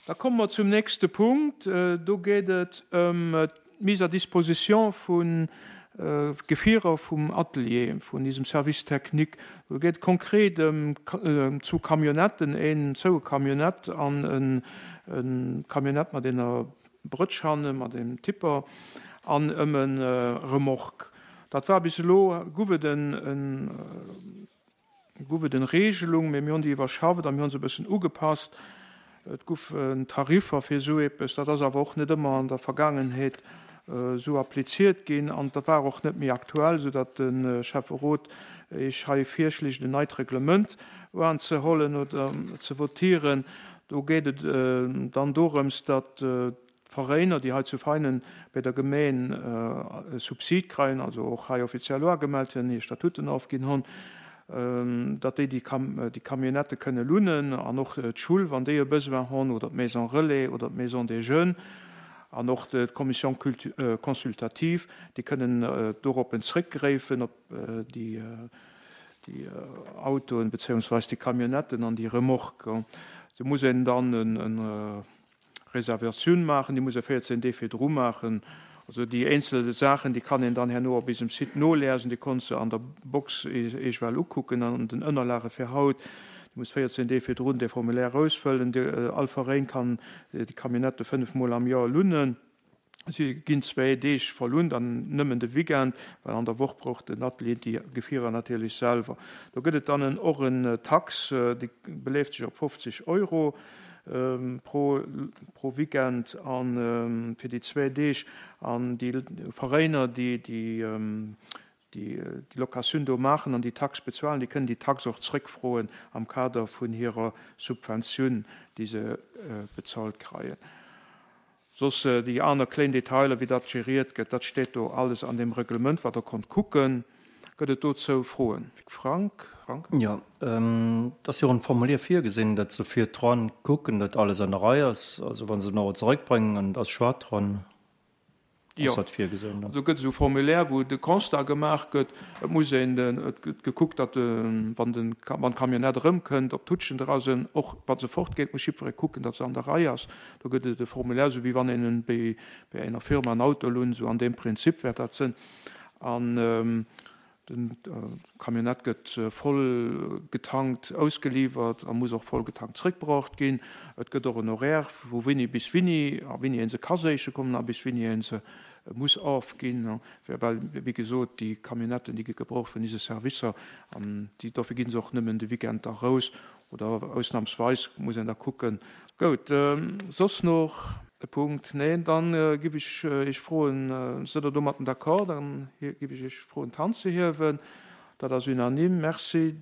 Da komme mer zum nächste Punkt. Do geet et ëm d'Mise à disposition vu Gefierer vum Atelier, vun diesem Service technique. Do geet et konkret ëm zwou Camionnetten, een zoue Camionnette an e Camionnette mat enger Brëtsch hanne mat engem Tipper an ëm e Remorque. Dat war bis elo, guff et en, guff et en Regelung, mee mir hunn déi iwwerschafft a mir hunn se e bëssen ugepasst. Et goufen Tariffer fir esou eppes, dat ass awer och net ëmmer an der Vergaangenheet esou appliziert ginn an dat war och net méi aktuell, soudatt de Schäfferot Iech hei virschléit, en neit Reglement uanzehollen oder ze votieren. Do geet et dann dorëms, datt d'Veräiner, déi hei zu Veinen bei der Gemeen e Subsid kreien, also och hei offiziell uagemellt hunn, hir Statuten ofginn hunn, datt déi déi Camionnette kënne lunnen an och d'Schull, wann déi e Besoin hunn, oder d'Maison relais oder d'Maison des jeunes an och d'Commission consultative, déi kënnen doroppen zréckgräifen op déi déi Autoen beziehungsweis déi Camionnetten an déi Remorquen. Do muss een dann eng Reservatioun maachen, déi muss ee 14 Deeg virdru maachen. Also déi eenzel Saachen, déi kann een dann herno op eisem Site noliesen, déi konnt se an der Box eech well ukucken an den Ënnerlage fir haut. Dir musst 14 Deeg virdrun dee Formulaire ausfëllen. All Veräin kann déi Camionnette 5 Mol am Joer lunnen. Si ginn zwéi Deeg verlunt an nëmmen de Weekend, well an der Woch brauch den Atelier déi Gefierer natierlech selwer. Do gëtt et dann och en Tax, déi beleeft sech op 50 Euro pro pro Weekend a fir déi zwéi Deeg. An déi Veräiner, déi déi déi Locatioun do maachen an déi Tax bezuelen, déi kënnen déi Tax och zréckfroen am Kader vun hirer Subventioun, déi se bezahlt kreien. Soss déi aner kléin Detailer, wéi dat gériert gëtt, dat steet do alles an deem Reglement, wat Der konnt kucken. Gëtt et dozou Froen? Frank? Jo, et ass jo och en Formulier virgesinn, datt se virdrun kucken, datt alles an der Rei ass. Also wa se en och zeréckbréngen an et ass Choix dran, ass dat virgesinn. Jo, do gëtt esou e Formulaire, wou de Constat gemaach gëtt. Et muss een, et gëtt gekuckt, datt wann den, wann d'Camionnette erëmkënnt, ob d'Tutschen dra sinn. Och wa se fortgeet, muss jiddweree kucken, datt se an der Rei ass. Do gëtt et e Formulaire, esou wéi wann een en bei enger Firma en Auto lount, esou an deem Prinzip wäert dat sinn. An den Camionnette gëtt voll getankt ausgeliwwert a muss och voll getankt zréckbruecht ginn. Et gëtt och en Horaire vu wéini bis wéini a wéini ee se ka séiche kommen a bis wéini ee se muss ofginn. Well, wéi gesot, déi Camionnetten, déi gi gebraucht vun ise Servicer an déi, dofir gi se och nëmmen de Weekend da raus. Oder ausnahmsweis muss een da kucken. Gout, soss noch e Punkt? Neen, dann giff ech Iech froen, sidd Der domatten d'accord? Dann giff ech Iech froen d'Hand ze hiewen. Dat ass unanime. Merci.